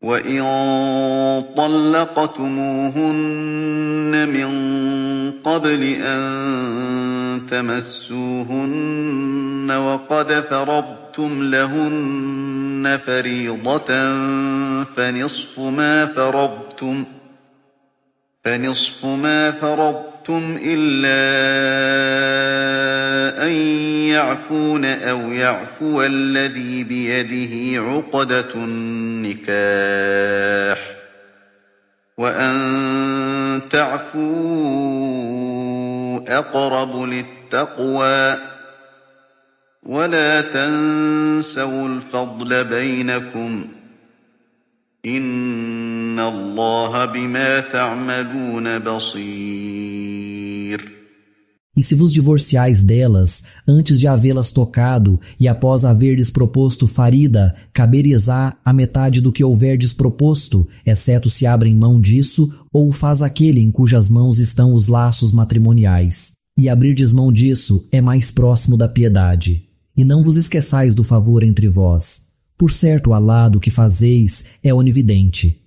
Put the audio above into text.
وَإِن طَلَّقْتُمُوهُنَّ مِن قَبْلِ أَن تَمَسُّوهُنَّ وَقَدْ فَرَضْتُمْ لَهُنَّ فَرِيضَةً فَنِصْفُ مَا فَرَضْتُمْ إِلَّا أَن يَعْفُونَ أَوْ يَعْفُوَ الَّذِي بِيَدِهِ عُقْدَةُ النِّكَاحِ ۚ وَأَن تَعْفُوا أَقْرَبُ لِلتَّقْوَىٰ ۚ وَلَا تَنسَوُا الْفَضْلَ بَيْنَكُمْ ۚ إِنَّ اللَّهَ بِمَا تَعْمَلُونَ بَصِيرٌ. E se vos divorciais delas, antes de havê-las tocado, e após haverdes proposto farida, caberizá a metade do que houverdes proposto, exceto se abrem mão disso, ou faz aquele em cujas mãos estão os laços matrimoniais. E abrirdes mão disso é mais próximo da piedade. E não vos esqueçais do favor entre vós. Por certo, Alá do que fazeis é onividente.